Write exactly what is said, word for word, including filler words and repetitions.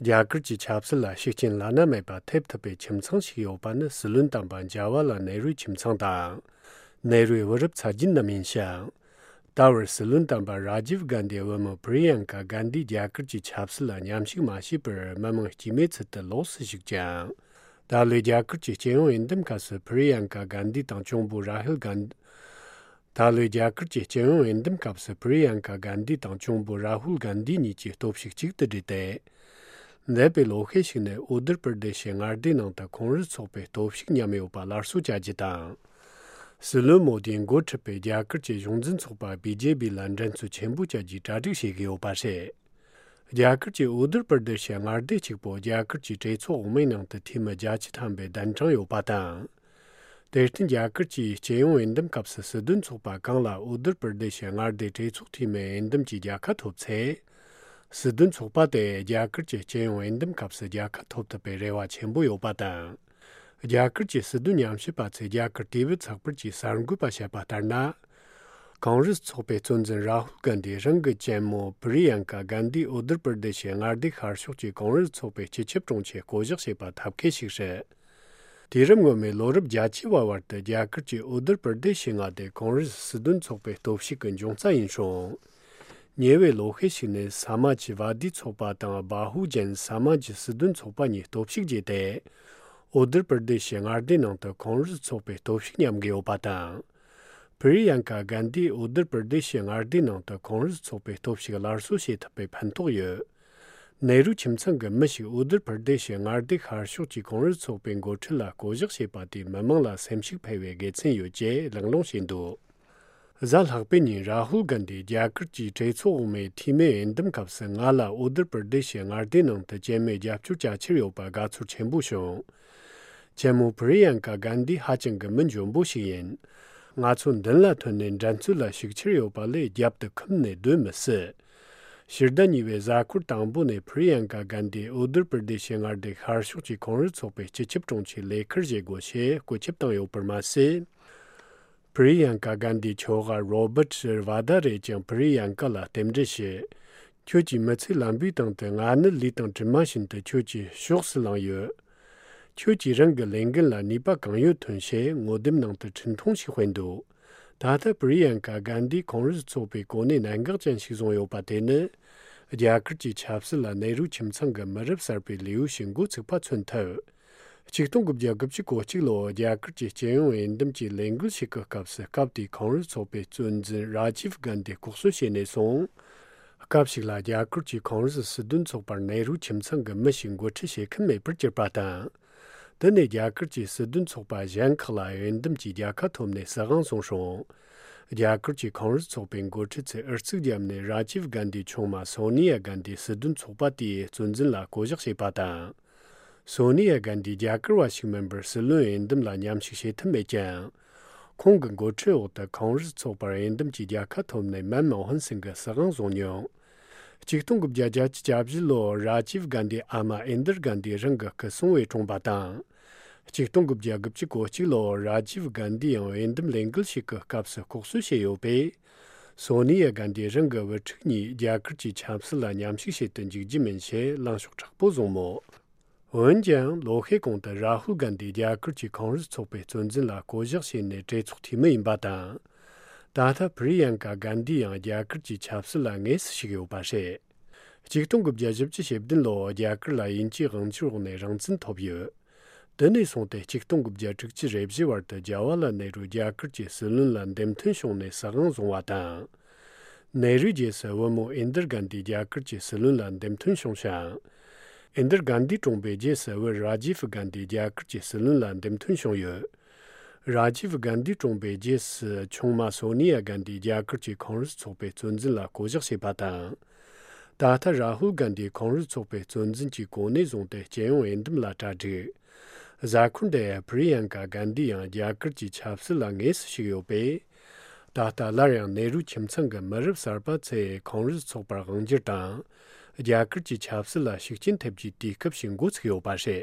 རྒྱ་གར་གྱི་ཆབ་སྲིད་ལ་ཤུགས་རྐྱེན་བླ་ན་མེད་པ་ཐེབས་ཐུབ་པའི་ཁྱིམ་ཚང་ཞིག་ཡོད་པ་ནི་སྲིད་བློན་དམ་པ་ཇ་ཝར་ལཱལ་ནེ་རུའི་ཁྱིམ་ཚང་དང་། ནེ་རུའི་བུ་རབས་ཚ་རྒྱུད་རྣམས་ཡིན་ཞིང་། ད་བར་སྲིད་བློན་དམ་པ་ར་ཇིབ་གྷན་དྷིའི་བུ་མོ་པི་རི་ཡང་ཀ་གྷན་དྷི་རྒྱ་གར་གྱི་ཆབ་སྲིད་ལ་མཉམ་ཞུགས་མ་བྱས་པར་མི་མང་སྐྱེས་མའི་ཚུལ་དུ་ལོགས་སུ་བཞུགས་ཀྱང་། ད་ལོའི་རྒྱ་གར་གྱི་སྤྱི་ཡོངས་འོས་འདེམས་སྐབས་སུ་པི་རི་ཡང་ཀ་གྷན་དྷི་དང་གཅུང་པོ་ར་ཧུལ་གྷན། ད་ལོའི་རྒྱ་གར་གྱི་སྤྱི་ཡོངས་འོས་འདེམས་སྐབས་སུ་པི་རི་ཡང་ཀ་གྷན་དྷི་དང་གཅུང་པོ་ར་ཧུལ་གྷན་དྷི་གཉིས་ཀྱིས་སྟོབས་ཤུགས་གཅིག་ཏུ་བསྒྲིལ་ཏེ། འདས་པའི་ལོ་ཤས་ཤིག་ནས་ཨུ་ཏར་པར་དེ་ཤི་མངའ་སྡེའི་ནང་དུ་ཁོང་རུལ་ཚོགས་པའི་སྟོབས་ཤུགས་ཉམས་ཡོད་པ་སླར་གསོ་བྱ་རྒྱུ་དང་། སྲིད་བློན་མོ་དིས་འགོ་ཁྲིད་པའི་རྒྱ་གར་གྱི་གཞུང་འཛིན་ཚོགས་པ་བི་ཇེ་པི་ལ་འགྲན་རྩོད་ཆེན་པོ་བྱ་རྒྱུའི་གྲ་སྒྲིག་བྱེད་ཀྱི་ཡོད་པ་རེད། རྒྱ་གར་གྱི་ཨུ་ཏར་པར་དེ་ཤི་མངའ་སྡེ་གཅིག་པོ་རྒྱ་གར་གྱི་གྲོས་ཚོགས་འོག་མའི་ནང་དུ་འཐུས་མི་བརྒྱད་ཅུ་ཐམ་པས་གདན་དྲངས་ཡོད་པ་དང་། དེར་བརྟེན་རྒྱ་གར་གྱི་སྤྱི་ཡོངས་འོས་འདེམས་སྐབས་སུ་སྲིད་དོན་ཚོགས་པ་གང་ལ་ཨུ་ཏར་པར་དེ་ཤི་མངའ་སྡེའི་གྲོས་ཚོགས་འཐུས་མི་འོས་འདེམས་ཀྱི་རྒྱལ་ཁ་ཐོབ་ཚེ། སྲིད་དོན་ཚོགས་པ་དེ་རྒྱ་གར་གྱི་སྤྱི་ཡོངས་འོས་འདེམས་སྐབས་སུ་རྒྱལ་ཁ་ཐོབ་ཐུབ་པའི་རེ་བ་ཆེན་པོ་ཡོད་པ་དང་། རྒྱ་གར་གྱི་སྲིད་དོན་ཉམས་ཞིབ་པ་ཚོས་རྒྱ་གར་དུས་བབ་ཚགས་པར་གྱིས་གསར་འགོད་པ་བཤད་པ་ལྟར་ན། ཁོང་རུལ་ཚོགས་པའི་གཙོ་འཛིན་ར་ཧུལ་གྷན་དྷི་རང་གི་གཅེན་མོ་པི་རི་ཡང་ཀ་གྷན་དྷི་ཨུ་ཏར་པར་དེ་ཤི་མངའ་སྡེ་ཤར་ཕྱོགས་ཀྱི་ཁོང་རུལ་ཚོགས་པའི་སྤྱི་ཁྱབ་དྲུང་ཆེ་བསྐོ་གཞག་བྱས་པ་ཐབས་མཁས་ཤིག་རེད། དུས་རབས་སྔོན་མའི་ལོ་རབས་བརྒྱད་ཅུ་བ་བར་དུ་རྒྱ་གར་གྱི་ཨུ་ཏར་པར་དེ་ཤི་མངའ་སྡེ་ཁོང་རུལ་སྲིད་དོན་ཚོགས་པའི་སྟོབས་ཤུགས་ཀྱི་འབྱུང་རྩ་ཡིན་ཞིང་། ཉེ་བའི་ལོ་ཤས་ཤིག་ནས་ས་མ་ཇི་ཝ་དི་ཚོགས་པ་དང་བྷ་ཧུ་ཇན་ས་མ་ཇི་སྲིད་དོན་ཚོགས་པ་གཉིས་སྟོབས་ཤུགས་རྒྱས་ཏེ། ཨུ་ཏར་པར་དེ་ཤི་མངའ་སྡེའི་ནང་དུ་ཁོང་རུལ་ཚོགས་པའི་སྟོབས་ཤུགས་ཉམས་ཀྱི་ཡོད་པ་དང་། པི་རི་ཡང་ཀ་གྷན་དྷིས་ཨུ་ཏར་པར་དེ་ཤི་མངའ་སྡེའི་ནང་དུ་ཁོང་རུལ་ཚོགས་པའི་སྟོབས་ཤུགས་སླར་གསོ་བྱེད་ཐུབ་པའི་ཕན་ཐོགས་ཡོད། ནེ་རུ་ཁྱིམ་ཚང་གི་མི་ཞིག་ཨུ་ཏར་པར་དེ་ཤི་མངའ་སྡེ་ཤར་ཕྱོགས་ཀྱི་ཁོང་རུལ་ཚོགས་པའི་འགོ་ཁྲིད་ལ་བསྐོ་གཞག་བྱས་པ་དེས་མི་མང་ལ་སེམས་ཤུགས་འཕེལ་བའི་དགེ་མཚན་ཡོད་ཅེས་གླེང་སློང་བྱས་འདུག། གཟའ་ལྷག་པའི་ཉིན་ར་ཧུལ་གྷན་དྷིས་རྒྱ་གར་གྱི་གྲོས་ཚོགས་འོག་མའི་འཐུས་མི་འོས་འདེམས་སྐབས་སུ་ང་ལ་ཨུ་ཏར་པར་དེ་ཤི་མངའ་སྡེའི་ནང་དུ་གཅེན་མོས་རྒྱབ་སྐྱོར་བྱ་འཆར་ཡོད་པ་དགའ་ཚོར་ཆེན་པོ་བྱུང་། གཅེན་མོ་པི་རི་ཡང་ཀ་གྷན་དྷི་ཧ་ཅང་གི་མི་འཇོན་པོ་ཞིག་ཡིན། ང་ཚོ་མདུན་ལ་ཐོན་ནས་འགྲན་རྩོད་ལ་ཞུགས་འཆར་ཡོད་པ་ལས་རྒྱབ་ཏུ་འཁུམས་ནས་སྡོད་མི་སྲིད། ཕྱི་ཟླ་གཉིས་པའི་གཟའ་འཁོར་དང་པོ་ནས་པི་རི་ཡང་ཀ་གྷན་དྷིས་ཨུ་ཏར་པར་དེ་ཤི་མངའ་སྡེ་ཤར་ཕྱོགས་ཀྱི་ཁོང་རུལ་ཚོགས་པའི་སྤྱི་ཁྱབ་དྲུང་ཆེའི་ལས་ཁུར་བཞེས་དགོས་ཞེས་བཀོད་ཁྱབ་བཏང་ཡོད་པར་མ་ཟད། པི་རི་ཡང་ཀ་གྷན་དྷིའི་ཁྱོ་ག་རོ་བར་ཊ་ཝ་དྷ་རས་ཀྱང་པི་རི་ཡང་ཀ་ལ་རྟེན་འབྲེལ་ཞུས། ཁྱོད་ཀྱིས་མི་ཚེ་ལམ་བུའི་སྟེང་དུ་ང་ནི་ལུས་དང་གྲིབ་མ་བཞིན་དུ་ཁྱོད་ཀྱི་ཕྱོགས་སུ་ལངས་ཡོད། ཁྱོད་ཀྱིས་རང་གི་ལས་འགན་ལ་ནུས་པ་གང་ཡོད་ཐོན་ཞེས་ངོ་དེབ་ནང་དུ་འཕྲིན་ཐུང་ཞིག་སྤེལ་འདུག། ད་ལྟ་པི་རི་ཡང་ཀ་གྷན་དྷིས་ཁོང་རུལ་ཚོགས་པའི་གོ་གནས་གནད་འགག་ཅན་ཞིག་བཟུང་ཡོད་པ་དེ་ནི། རྒྱ་གར་གྱི་ཆབ་སྲིད་ལ་ནེ་རུ་ཁྱིམ་ཚང་གི་མི་རབས་གསར་པའི་ལེའུ་ཞིག་འགོ་ཚུགས་པ་མཚོན་ཐུབ། ཆིག་སྟོང་དགུ་བརྒྱ་དགུ་བཅུ་གོ་གཅིག་ལོར་རྒྱ་གར་གྱི་སྤྱི་ཡོངས་འོས་འདེམས་ཀྱི་ལས་འགུལ་ཞིག་གི་སྐབས་སུ་སྐབས་དེའི་ཁོང་རུལ་ཚོགས་པའི་གཙོ་འཛིན་ར་ཇིབ་གྷན་དྷི་ལྐོག་གསོད་བྱས་ནས་བཟུང་། སྐབས་ཤིག་ལ་རྒྱ་གར་གྱི་ཁོང་རུལ་སྲིད་དོན་ཚོགས་པར་ནེ་རུ་ཁྱིམ་ཚང་གི་མི་ཞིག་འགོ་ཁྲིད་བྱེད་མཁན་མེད་པར་གྱུར་པ་དང་། དེ་ནས་རྒྱ་གར་གྱི་སྲིད་དོན་ཚོགས་པ་གཞན་ཁག་ལ་འོས་འདེམས་ཀྱི་རྒྱལ་ཁ་ཐོབ་ནས་སྲིད་དབང་བཟུང་ཞིང་། རྒྱ་གར་གྱི་ཁོང་རུལ་ཚོགས་པའི་འགོ་ཁྲིད་ཚོས་ཨུ་ཚུགས་བརྒྱབ་ནས་ར་ཇིབ་གྷན་དྷིའི་ཆུང་མ་སོ་ནི་ཡ་གྷན་དྷི་སྲིད་དོན་ཚོགས་པ་དེའི་གཙོ་འཛིན་ལ་བསྐོ་གཞག་བྱས་པ་དང་། སོ་ནི་ཡ་གྷན་དྷི་རྒྱ་གར་བ་ཞིག་མིན་པར་སྲིད་བློན་འོས་འདེམས་ལ་མཉམ་ཞུགས་བྱེད་ཐུབ་མེད་ཀྱང་། ཁོང་གི་འགོ་ཁྲིད་འོག་ཏུ་ཁོང་རུལ་ཚོགས་པར་འོས་འདེམས་ཀྱི་རྒྱལ་ཁ་ཐོབ་ནས་མན་མོ་ཧན་སིང་གི་སྲིད་དབང་བཟུང་མྱོང་། ཆིག་སྟོང་དགུ་བརྒྱ་བརྒྱད་ཅུ་གྱ་བཞི་ལོར་ར་ཇིབ་གྷན་དྷིའི་ཨ་མ་ཨིན་དིར་གྷན་དྷི་རང་གི་སྐུ་སྲུང་བས་བཀྲོངས་པ་དང་། ཆིག་སྟོང་དགུ་བརྒྱ་དགུ་བཅུ་གོ་གཅིག་ལོར་ར་ཇིབ་གྷན་དྷི་ཡང་འོས་འདེམས་ལས་འགུལ་ཞིག་གི་སྐབས་སུ་ལྐོག་གསོད་བྱས་ཡོད་པས། སོ་ནི་ཡ་གྷན་དྷི་རང་གི་བུ་ཕྲུག་གཉིས་རྒྱ་གར་གྱི་ཆབ་སྲིད་ལ་མཉམ་ཞུགས་བྱེད་དུ་འཇུག་རྒྱུ་མིན་ཞེས་ལངས་ཕྱོགས་དྲག་པོ་བཟུང་མོད། འོན་ཀྱང་ལོ་ཤས་གོང་དུ་རཱ་ཧུལ་གྷན་དྷི་རྒྱ་གར་གྱི་ཁོང་རུལ་ཚོགས་པའི་གཙོ་འཛིན་ལ་བསྐོ་གཞག་བྱས་ནས་གྲོས་ཚོགས་འཐུས་མི་ཡིན་པ་དང་། ད་ལྟ་པི་རི་ཡང་ཀ་གྷན་དྷི་ཡང་རྒྱ་གར་གྱི་ཆབ་སྲིད་ལ་དངོས་སུ་ཞུགས་ཡོད་པ་རེད། ཆིག་སྟོང་དགུ་བརྒྱ་བཞི་བཅུ་ཞེ་བདུན་ལོར་རྒྱ་གར་ལ་དབྱིན་ཇིའི་དབང་སྒྱུར་འོག་ནས་རང་བཙན་ཐོབ་ཡོད། དེ་ནས་བཟུང་སྟེ་ཆིག་སྟོང་དགུ་བརྒྱ་དྲུག་ཅུ་རེ་བཞི་བར་དུ་ཇ་ཝར་ལཱལ་ནེ་རུ་རྒྱ་གར་གྱི་སྲིད་བློན་ལ་འདེམས་ཐོན་བྱུང་ནས་སྲིད་དབང་བཟུང་བ་དང་། ནེ་རུའི་རྗེས་སུ་བུ་མོ་ཨིན་དིར་གྷན་དྷི་རྒྱ་གར་གྱི་སྲིད་བློན་ལ་འདེམས་ཐོན་བྱུང་ཞིང་། ཨིན་དིར་གྷན་དྷི་གྲོངས་པའི་རྗེས་སུ་བུ་རཱ་ཇིབ་གྷན་དྷི་རྒྱ་གར་གྱི་སྲིད་བློན་ལ་འདེམས་ཐོན་བྱུང་ཡོད། རཱ་ཇིབ་གྷན་དྷི་གྲོངས་པའི་རྗེས་སུ་ཆུང་མ་སོ་ནི་ཡ་གྷན་དྷི་རྒྱ་གར་གྱི་ཁོང་རུལ་ཚོགས་པའི་གཙོ་འཛིན་ལ་བསྐོ་གཞག་བྱས་པ་དང་། ད་ལྟ་རཱ་ཧུལ་གྷན་དྷི་ཁོང་རུལ་ཚོགས་པའི་གཙོ་འཛིན་གྱི་གོ་གནས་བཟུང་སྟེ་རྒྱལ་ཡོངས་འོས་འདེམས་ལ་གྲ་སྒྲིག། གཟའ་འཁོར་འདིར་པི་རི་ཡང་ཀ་གྷན་དྷི་ཡང་རྒྱ་གར་གྱི་ཆབ་སྲིད་ལ་དངོས་སུ་ཞུགས་ཡོད་པས། ད་ལྟ་སླར་ཡང་ནེ་རུ་ཁྱིམ་ཚང་གི་མི་རབས་གསར་པ་ཚོས་ཁོང་རུལ་ཚོགས་པར་དབང་སྒྱུར་དང་། རྒྱ་གར་གྱི་ཆབ་སྲིད་ལ་ཤུགས་རྐྱེན་ཐེབས་རྒྱུའི་དུས་སྐབས་ཤིག་འགོ་ཚུགས་ཡོད་པ་རེད།